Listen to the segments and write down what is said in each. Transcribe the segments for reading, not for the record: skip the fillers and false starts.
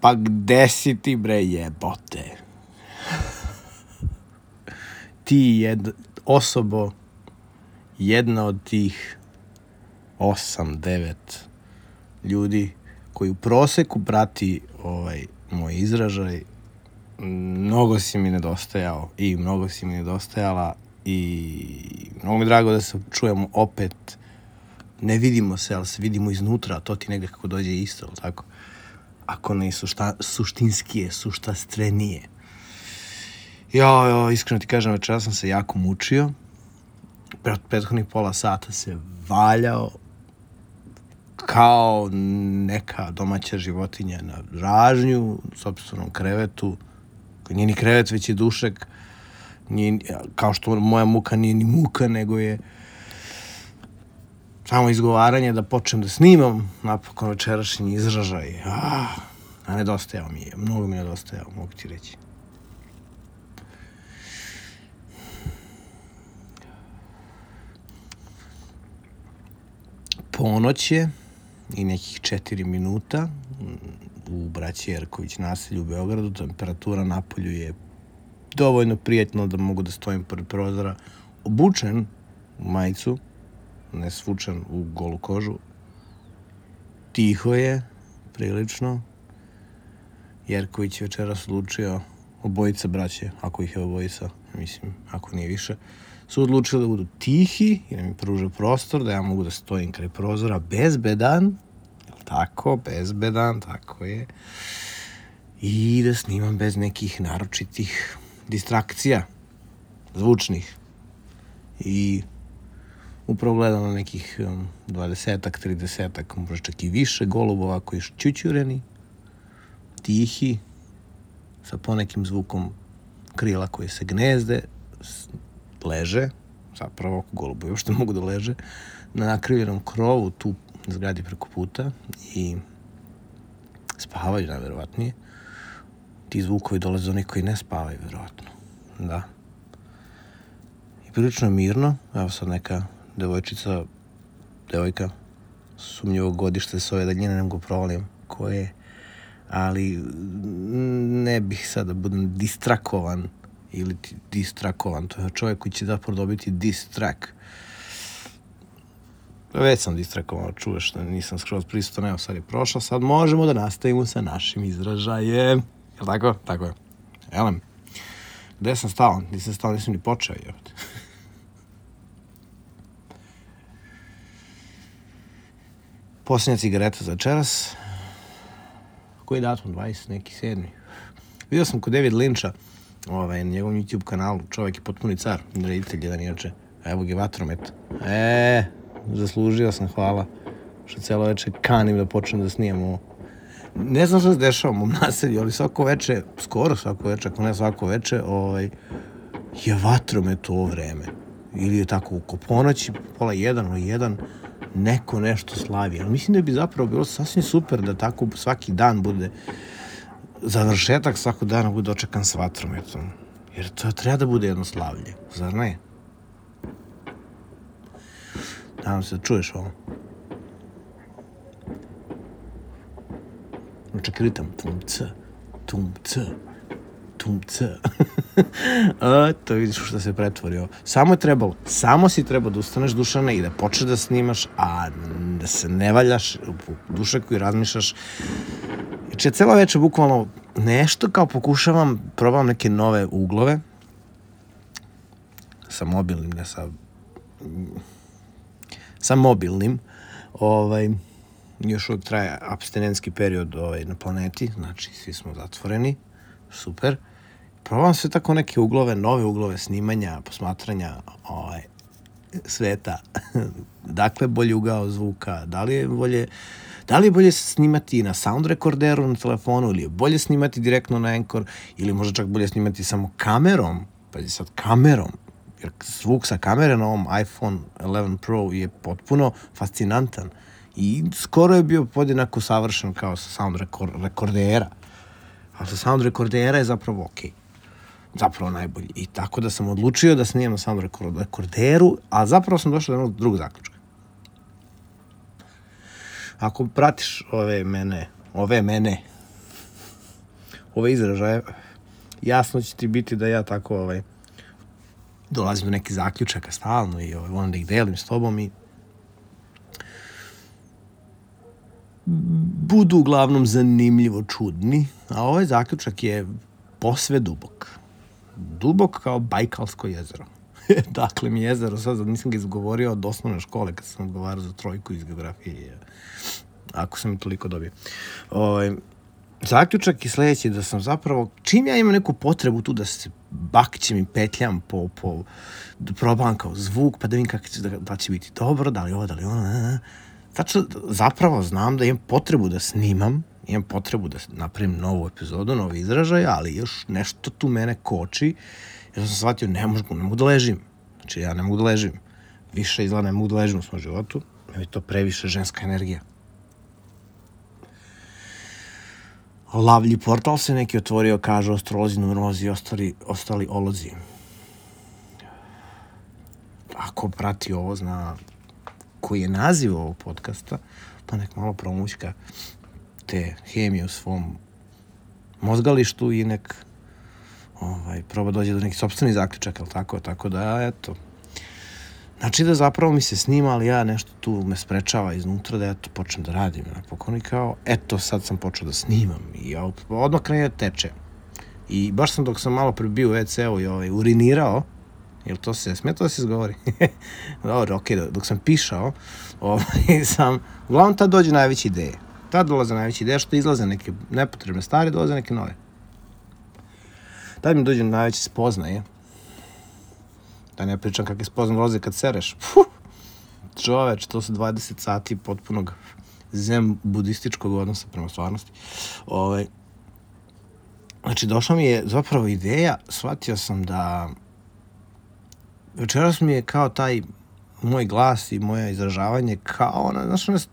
Pa gde si ti, bre, jebote? Ti osobo, jedna od tih 8-9 ljudi koji u proseku prati moj izražaj, mnogo si mi nedostajao i mnogo si mi nedostajala i mnogo mi drago da se čujemo opet. Ne vidimo se, ali se vidimo iznutra, a to ti negde kako dođe isto, tako? Ako ne suštinskije, suštastrenije. Iskreno ti kažem, večera sam se jako mučio. Prethodnih pola sata se valjao kao neka domaća životinja na ražnju, u sopstvenom krevetu, koji nije ni krevet, već je dušek. Kao što moja muka nije ni muka, nego je samo izgovaranje da počnem da snimam napokon večerašnji izražaj. A nedostajao mi je, mnogo mi je nedostajao, mogu ti reći. Ponoć je i nekih 4 minuta u braći Jerković naselju u Beogradu. Temperatura napolju je dovoljno prijatno da mogu da stojim pored prozora, obučen u majicu, ne svučen u golu kožu. Tiho je, prilično. Jerković je večeras odlučio, obojica braće, ako ih je obojica, mislim, ako nije više, su odlučili da budu tihi i da mi pruže prostor, da ja mogu da stojim kraj prozora bezbedan, tako, bezbedan, tako je, i da snimam bez nekih naročitih distrakcija, zvučnih. I upravo gledam na nekih 20-ak, 30-ak, možda čak i više golubova koji su čučureni, tihi, sa ponekim zvukom krila koji se gnezde, leže, zapravo golubovi uopšte mogu da leže, na nakrivljenom krovu tu zgradi preko puta i spavaju, najverovatnije. Ti zvukovi dolaze do onih koji ne spavaju, verovatno. Da. I prilično mirno. Evo sad neka devojka, sumnjivog godišta s ove daljine, ne mogu provalim koje, ali ne bih sad da budem distrakovan ili distrakovan. To je čovjek koji će zapravo dobiti distrak. Već sam distrakovan, čuješ da nisam skroz prisutan, evo sad je prošlo, sad možemo da nastavimo sa našim izražajem. Jel' tako? Tako je. Elem, gde sam stao? Nisam ni počeo, jebate. Posljednja cigareta za večeras. Koji je datum? 20, neki 7. Vidio sam kod David Lyncha, na njegovom YouTube kanalu, čovjek je potpuni car, reditelj jedan inače. Evo ga vatromet. Zaslužio sam, hvala. Što cijelo večer kanim da počnem da snimam ovo. Ne znam što se dešava u mom naselju, ali svako veče, skoro svako veče, ako ne svako veče, je vatromet u ovo vreme. Ili je tako oko ponoći, pola 1, neko nešto slavi. Ali mislim da bi zapravo bilo sasvim super da tako svaki dan bude, završetak svakog dana bude očekan s vatrometom. Jer to treba da bude jedno slavlje, zar ne? Nadam se da čuješ ovo. Čak ritam, tum-c. To vidiš što se pretvorio. Samo si trebao da ustaneš, Dušane, i da počneš da snimaš, a da se ne valjaš u dušeku i razmišljaš. Znači, cela večer bukvalno nešto kao probam neke nove uglove sa mobilnim, ne sa mobilnim. Još uvijek traje apstinentski period na planeti, znači svi smo zatvoreni, super. Probam sve tako neke nove uglove snimanja, posmatranja sveta. Dakle, bolji ugao zvuka, da li je bolje snimati na sound rekorderu na telefonu, ili je bolje snimati direktno na Anchor, ili možda čak bolje snimati samo kamerom, jer zvuk sa kamere na ovom iPhone 11 Pro je potpuno fascinantan i skoro je bio podjednako savršen kao sa sound rekordera, a sa sound rekordera je zapravo okej. Zapravo najbolji. I tako da sam odlučio da snimam na sound rekorderu, a zapravo sam došao do jednog drugog zaključka. Ako pratiš ove mene, ove izražaje, jasno će ti biti da ja tako dolazim do nekih zaključaka stalno i volim da ih delim s tobom i budu uglavnom zanimljivo čudni, a ovaj zaključak je posve dubok. Dubok kao Bajkalsko jezero. Dakle, mi jezero, sad nisam ga izgovorio od osnovne škole kad sam odgovarao za 3 iz geografije. Ako sam i toliko dobio. Zaključak je sljedeći, da sam zapravo, čim ja imam neku potrebu tu da se bakćem i petljam da probam kao zvuk, pa da vidim kako će, da će biti dobro, da li ovo, da li ono, zapravo znam da imam potrebu da snimam, imam potrebu da napravim novu epizodu, novi izražaj, ali još nešto tu mene koči, jer sam shvatio, ne mogu da ležim. Znači, ja ne mogu da ležim. Više izgleda ne mogu da ležim u svom životu, jer je to previše ženska energija. Lavlji portal se neki otvorio, kažu astrolozi, numerolozi i ostali olozi. Ako prati ovo, zna koji je naziv ovog podcasta, pa nek malo promućka te hemije u svom mozgalištu i nek proba dođe do nekih sopstvenih zaključaka, ali tako da, eto. Znači da zapravo mi se snima, ali ja nešto tu me sprečava iznutra da ja to počnem da radim. Napokon i kao, eto, sad sam počeo da snimam i ja odmah krene teče. I baš sam dok sam malo prebio u WC-u i urinirao, jel to se smije to da se izgovori? Dobro, okej, dok sam pišao, uglavnom tad dođe najveće ideje. Tad dolaze najveće ideje, što izlaze neke nepotrebne stvari, dolaze neke nove. Tad mi dođe najveće spoznaje. Da ne pričam kakve spoznaje dolaze kad sereš. Čoveč, to su 20 sati potpunog zen budističkog odnosa prema stvarnosti. Znači, došla mi je zapravo ideja, shvatio sam da večeras mi je kao taj moj glas i moje izražavanje kao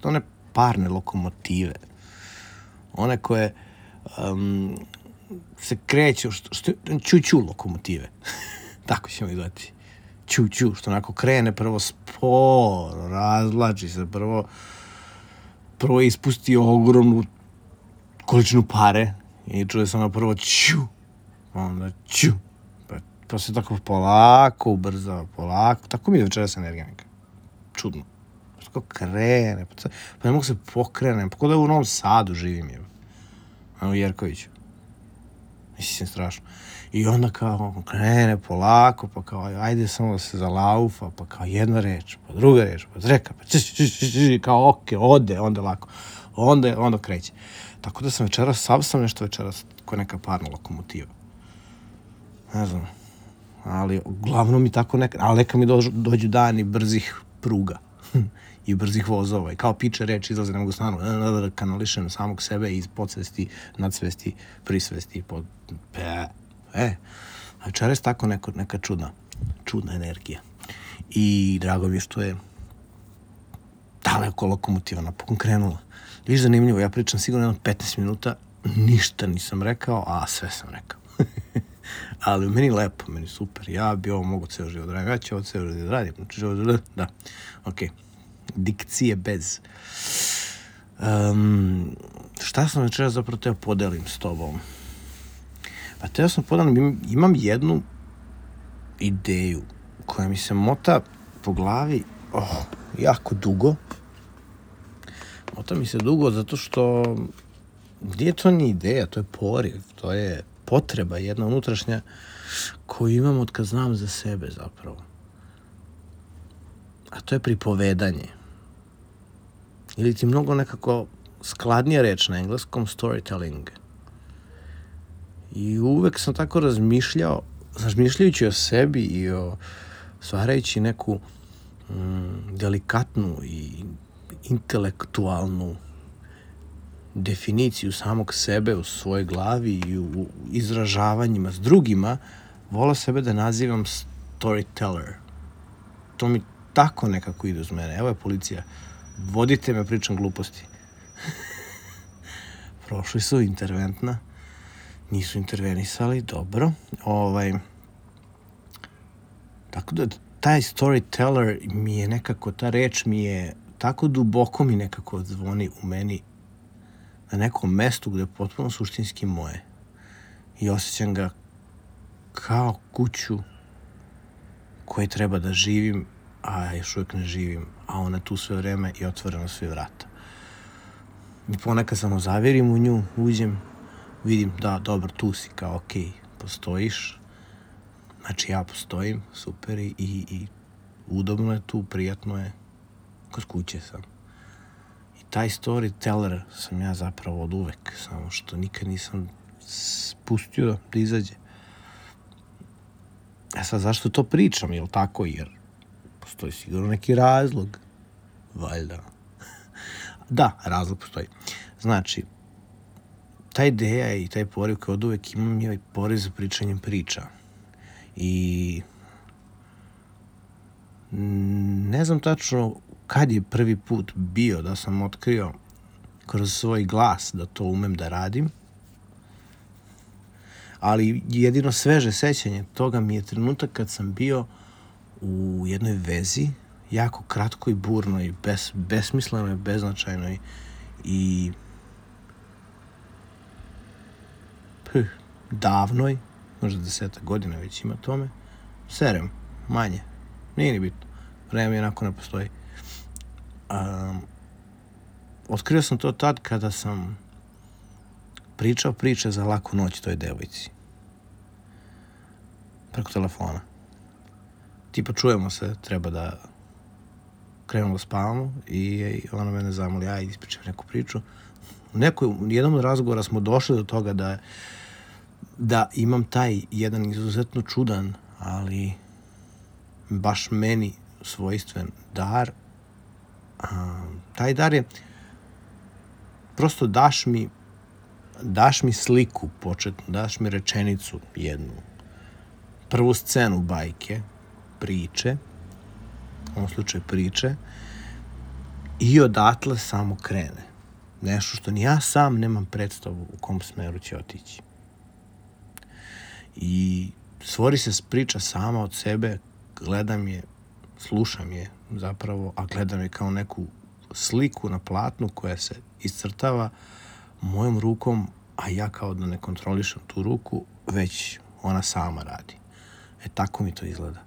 one parne lokomotive. One koje se kreću, ču lokomotive. Tako ćemo ih gledati. Ču, što onako krene prvo sporo, razvlači se, prvo ispusti ogromnu količinu pare i čuje se ono prvo ču, onda ču, pa se tako polako ubrzava, polako, tako mi je večeras energija neka, čudno, tako krene, pa ne mogu se pokrenem, pa kod da u Novom Sadu živim je, u Jerkoviću, mislim, strašno. I onda kao krene polako, pa kao ajde samo da se zalaufa, pa kao jedna reč, pa druga reč, pa treka, pa kao okej, ode, onda lako, onda kreće. Tako da sam nešto večeras kao neka parna lokomotiva. Ne znam, ali uglavnom mi tako ali neka mi dođu dani brzih pruga i brzih vozova i kao piče reč izlaze, ne mogu stanu, da kanališem samog sebe iz podsvesti, nadsvesti, prisvesti, večeras tako neka čudna energija. I drago mi je što je daleko lokomotiva napokon krenula. Viš zanimljivo, ja pričam sigurno jedno 15 minuta, ništa nisam rekao, a sve sam rekao. Ali meni lepo, meni super. Ja bi ovo mogu ceo život raditi. Ja ću ovo ceo život raditi. Da, okej. Dikcije bez. Šta sam večeras zapravo teo podelim s tobom? Pa teo sam podelim, imam jednu ideju koja mi se mota po glavi jako dugo. Mota mi se dugo zato što nije to ni ideja, to je poriv, to je potreba jedna unutrašnja koju imam od kad znam za sebe zapravo. A to je pripovedanje. Ili ti mnogo nekako skladnija reč na engleskom, storytelling. I uvek sam tako razmišljajući o sebi i stvarajući neku delikatnu i intelektualnu definiciju samog sebe u svojoj glavi i u izražavanjima s drugima, volao sebe da nazivam storyteller. To mi tako nekako ide uz mene. Evo je policija. Vodite me, pričam gluposti. Prošli su interventna. Nisu intervenisali, dobro. Tako da taj storyteller mi je nekako, ta reč mi je tako duboko mi nekako zvoni u meni na nekom mestu gde je potpuno suštinski moje. i osjećam ga kao kuću koje treba da živim, a još uvijek ne živim, a ona tu sve vreme i otvoreno sve vrata. I ponekad samo zavirim u nju, uđem, vidim da, dobro, tu si, kao okej, postojiš, znači ja postojim, super, i udobno je tu, prijatno je, kod kuće sam. I taj storyteller sam ja zapravo od uvek, samo što nikad nisam pustio da izađe. E sad, zašto to pričam, jel tako? Jer postoji sigurno neki razlog, valjda. Da, razlog postoji. Znači, ta ideja i taj poriv kao od uvek imam je poriv za pričanjem priča. I ne znam tačno kad je prvi put bio da sam otkrio kroz svoj glas da to umem da radim, ali jedino sveže sećanje toga mi je trenutak kad sam bio u jednoj vezi, jako kratkoj, burnoj, besmislenoj, beznačajnoj i davnoj, možda 10 godina već ima tome, serem, manje, nije ni bitno, vreme jednako ne postoji. Otkrio sam to tad kada sam pričao priče za laku noć toj devojci. Preko telefona. Tipa čujemo se, treba da krenemo da spavamo i ona mene zamoli, ajde ispričam neku priču. U jednom od razgovora smo došli do toga da imam taj jedan izuzetno čudan, ali baš meni svojstven dar. Taj dar je prosto daš mi sliku početnu, daš mi rečenicu jednu, prvu scenu bajke, priče, u ovom slučaju priče, i odatle samo krene. Nešto što ni ja sam nemam predstavu u kom smeru će otići. I stvori se priča sama od sebe, gledam je, slušam je zapravo, a gledam je kao neku sliku na platnu koja se iscrtava mojom rukom, a ja kao da ne kontrolišem tu ruku, već ona sama radi. Tako mi to izgleda.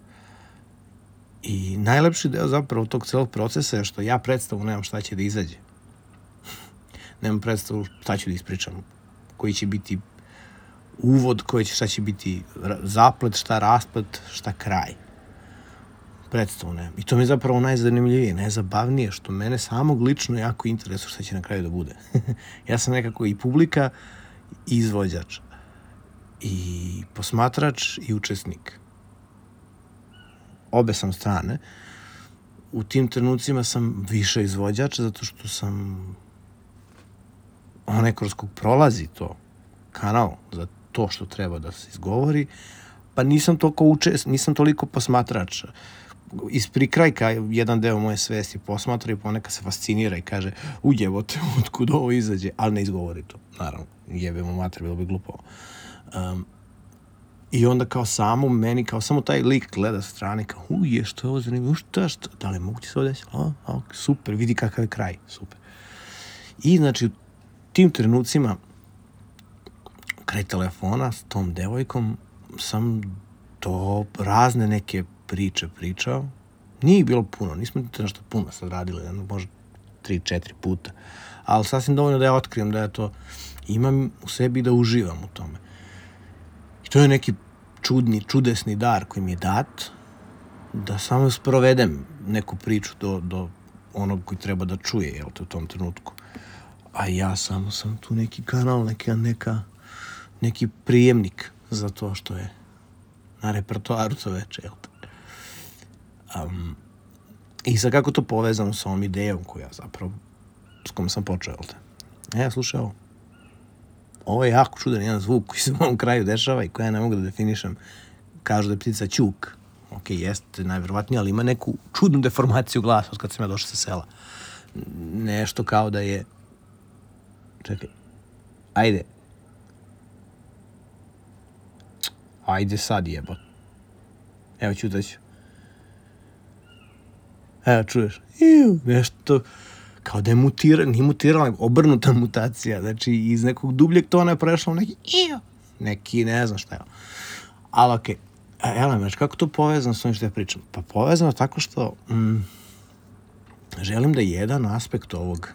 I najlepši deo zapravo tog celog procesa je što ja predstavu nemam šta će da izađe. Nemam predstavu šta ću da ispričam, koji će biti uvod, šta će biti zaplet, šta rasplet, šta kraj. Predstavu nemam. I to mi je zapravo najzanimljivije, najzabavnije, što mene samog lično jako interesuje šta će na kraju da bude. Ja sam nekako i publika i izvođač, i posmatrač i učesnik. Obe sam strane. U tim trenucima sam više izvođač, zato što sam onaj kroz kog prolazi to, kanal za to što treba da se izgovori, pa nisam toliko posmatrač. Iz prikrajka jedan deo moje svesti posmatra i ponekad se fascinira i kaže, ujebote, otkud ovo izađe, ali ne izgovori to. Naravno, jebemo mater, bilo bi glupo. I onda kao samo meni, kao samo taj lik gleda sa strane, kao što je ovo zanimljivo, šta, da li moguće se ovo desiti? Super, vidi kakav je kraj, super. I znači u tim trenucima kraj telefona s tom devojkom sam to razne neke priče pričao. Nije bilo puno, nismo to nešto puno sad radili, možda 3-4 puta, ali sasvim dovoljno da ja otkrijem da ja to imam u sebi i da uživam u tome. I to je neki čudesni dar koji mi je dat, da samo sprovedem neku priču do onog koji treba da čuje, u tom trenutku. A ja samo sam tu neki kanal, neki prijemnik za to što je na repertoaru to veče, I sad kako to povezano sa ovom idejom s kojom sam počeo, slušaj ovo. Ovo je jako čudan jedan zvuk koji se u ovom kraju dešava i koja ne mogu da definišem. Kažu da je ptica ćuk. Jeste najverovatnije, ali ima neku čudnu deformaciju glasa od kad sam ja došao sa sela. Nešto kao da je... Čekaj. Ajde sad, jebot. Evo ćutaću. Evo, čuješ? Nešto... Kao da je nije mutirala, nego obrnuta mutacija. Znači, iz nekog dubljeg tona je prešla u neki neki, ne znam šta je. Ali okej. Znaš, kako to povezano s ovim što ja pričam? Pa povezano tako što želim da jedan aspekt ovog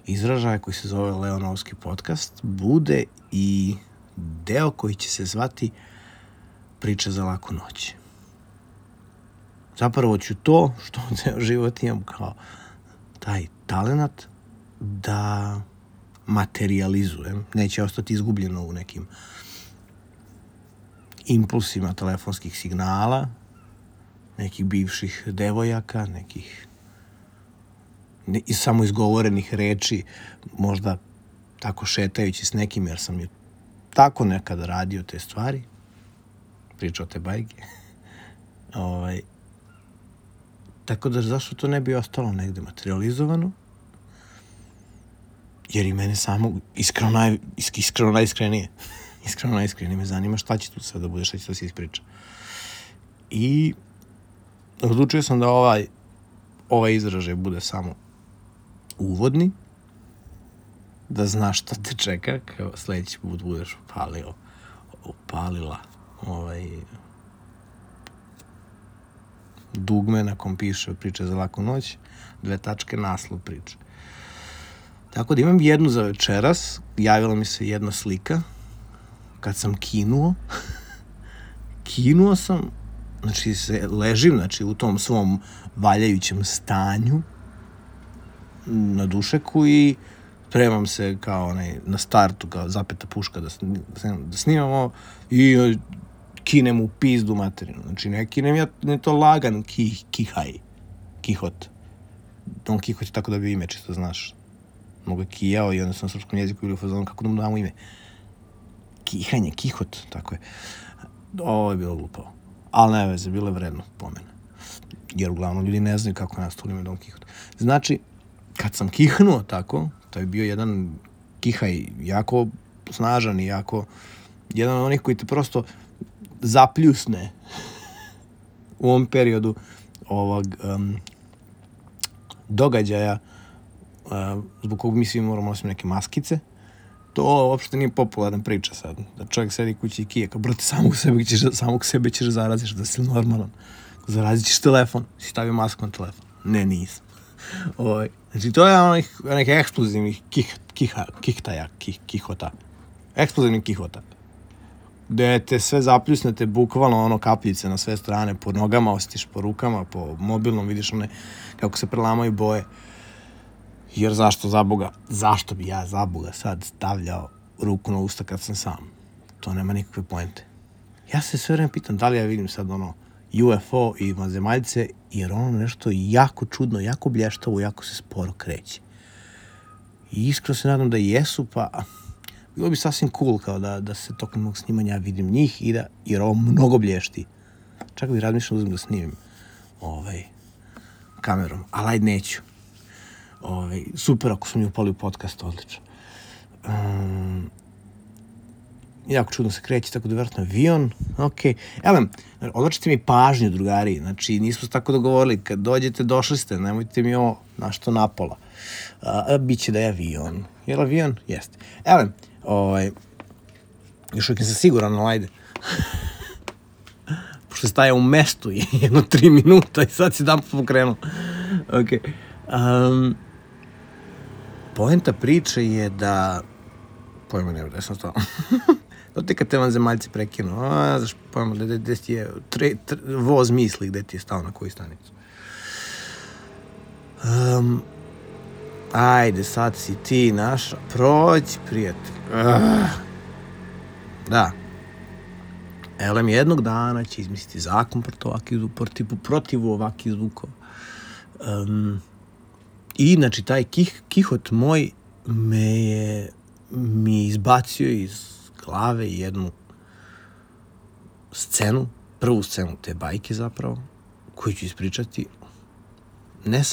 izražaja koji se zove Leonovski podcast bude i deo koji će se zvati priča za laku noć. Zapravo ću to što ceo život imam kao taj talenat da materializujem. Neće ostati izgubljeno u nekim impulsima telefonskih signala, nekih bivših devojaka, nekih samo izgovorenih reči, možda tako šetajući s nekim, jer sam je tako nekada radio te stvari, pričao te bajke. Tako da zašto to ne bi ostalo negde materializovano? Jer i mene samo iskreno najiskrenije me zanima šta će tu sve da bude, šta će to se ispriča. I odlučio sam da ovaj izražaj bude samo uvodni, da znaš šta te čeka, kao sledeći put budeš upalila dugme na kom piše priče za laku noć, 2 naslov priče. Tako da imam jednu za večeras, javila mi se jedna slika, kad sam kinuo sam, znači ležim, u tom svom valjajućem stanju na dušeku i spremam se kao na startu, kao zapeta puška da snimamo i kinem u pizdu materinu. Znači ne kinem ja, ne to lagan kihot. Don Kihot je tako da bi ime, čisto znaš. Mnogo je kijao i onda sam na srpskom jeziku ili u fazonu kako da mu damo ime. Kihanje, kihot, tako je. Ovo je bilo glupavo. Ali ne veze, bilo je vredno pomena. Jer uglavnom ljudi ne znaju kako nas ime Don Kihot. Znači, kad sam kihnuo tako, to je bio jedan kihaj jako snažan i jako jedan od onih koji te prosto zapljusne u ovom periodu ovog događaja zbog kog mi svi moramo nositi neke maskice. To uopšte nije popularna priča sad. Da čovjek sedi kući i kije, kao brate, samog sebe ćeš zaraziš, da si normalan. Zarazit ćeš telefon, si stavio masku na telefon. Ne, nisam. Znači, to je onih eksplozivnih kihota. Eksplozivnih kihota. Gde te sve zapljusnete, bukvalno kapljice na sve strane, po nogama osjetiš, po rukama, po mobilnom, vidiš kako se prelamaju boje. Jer zašto bi ja za Boga sad stavljao ruku na usta kad sam sam? To nema nikakve poente. Ja se sve vreme pitam da li ja vidim sad UFO i vanzemaljce, jer nešto jako čudno, jako blještavo, jako se sporo kreće. I iskreno se nadam da jesu, pa bilo bi sasvim cool kao da se tokom mog snimanja vidim njih jer ovo mnogo blješti. Čak bih razmišljao uzem da snimim kamerom, ali ajde neću. Super ako su mi upali u podcast, odlično. Jako čudno se kreće, tako da vjerojatno avion, okej. Odlačite mi pažnju, drugari, znači nismo se tako dogovorili, kad dođete, došli ste, nemojte mi ovo našto napola. Biće da je avion. Je li avion? Jeste. Još uvijek sam siguran, ali ajde. Pošto staje u mestu jedno 3 minuta i sad si dan pokrenuo. Okej. Poenta priče je da pojma nema da sam stao. To ti kad te vanzemaljci prekinu, znaš pojma gde ti je voz misli gde ti je stao na koju stanicu. Ajde, sad si ti naša, prođi prijatelj. Da. Elem jednog dana će izmisliti zakon protiv ovakih zvukova. I, znači, taj kihot moj mi je izbacio iz glave jednu scenu, prvu scenu te bajke zapravo, koju ću ispričati. Ne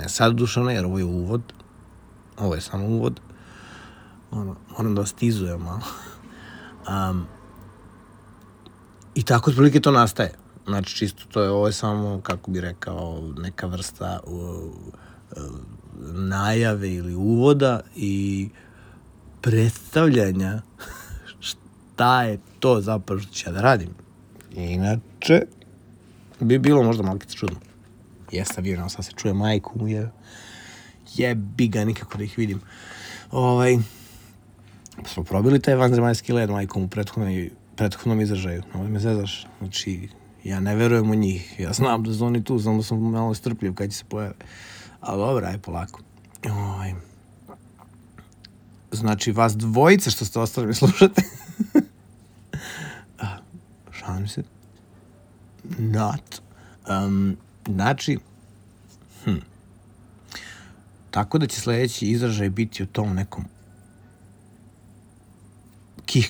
sad Dušane, jer ovo je uvod. Ovo je samo uvod. Moram da vas tizujem malo. I tako otprilike to nastaje. Znači, čisto ovo je samo, kako bi rekao, neka vrsta najave ili uvoda i predstavljanja šta je to zapravo što ću ja da radim. Inače, bi bilo možda malo čudno. Jeste vidio, sad se čuje majku, jebi ga, nikako da ih vidim. Smo probili taj vanzemaljski led majkom u prethodnom izražaju. Ovo me zezaš. Znači, ja ne verujem u njih. Ja znam da su oni tu, znam da sam malo strpljiv kad će se pojave. Ali dobro, aj polako. Znači, vas dvojice što ste ostali mi slušate. Šalim se. Not. Znači, tako da će sljedeći izražaj biti o tom nekom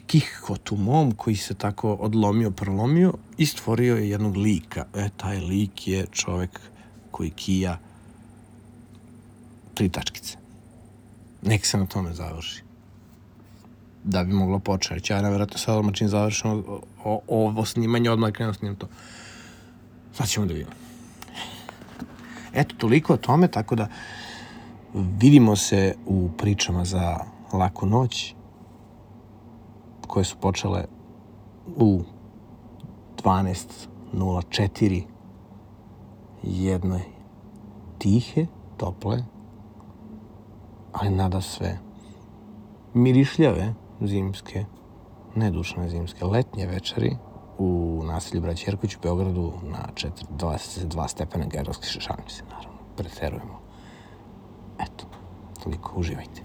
kihkotu mom koji se tako odlomio, prolomio i stvorio je jednog lika. Taj lik je čovek koji kija 3 tačkice. Nek se na tome završi. Da bi moglo početi. Ja nevjerojatno sad odmah čim završimo ovo snimanje, odmah krenuo snimam to. Sad ćemo da vidimo. Eto, toliko o tome, tako da vidimo se u pričama za laku noć, koje su počele u 12:04 jedne tihe, tople, ali nada sve mirišljave zimske, ne dušne zimske, letnje večeri u naselju Braće Jerković u Beogradu na 22 stepena Gerovske, šalim se, naravno, preterujemo. Eto, toliko, uživajte.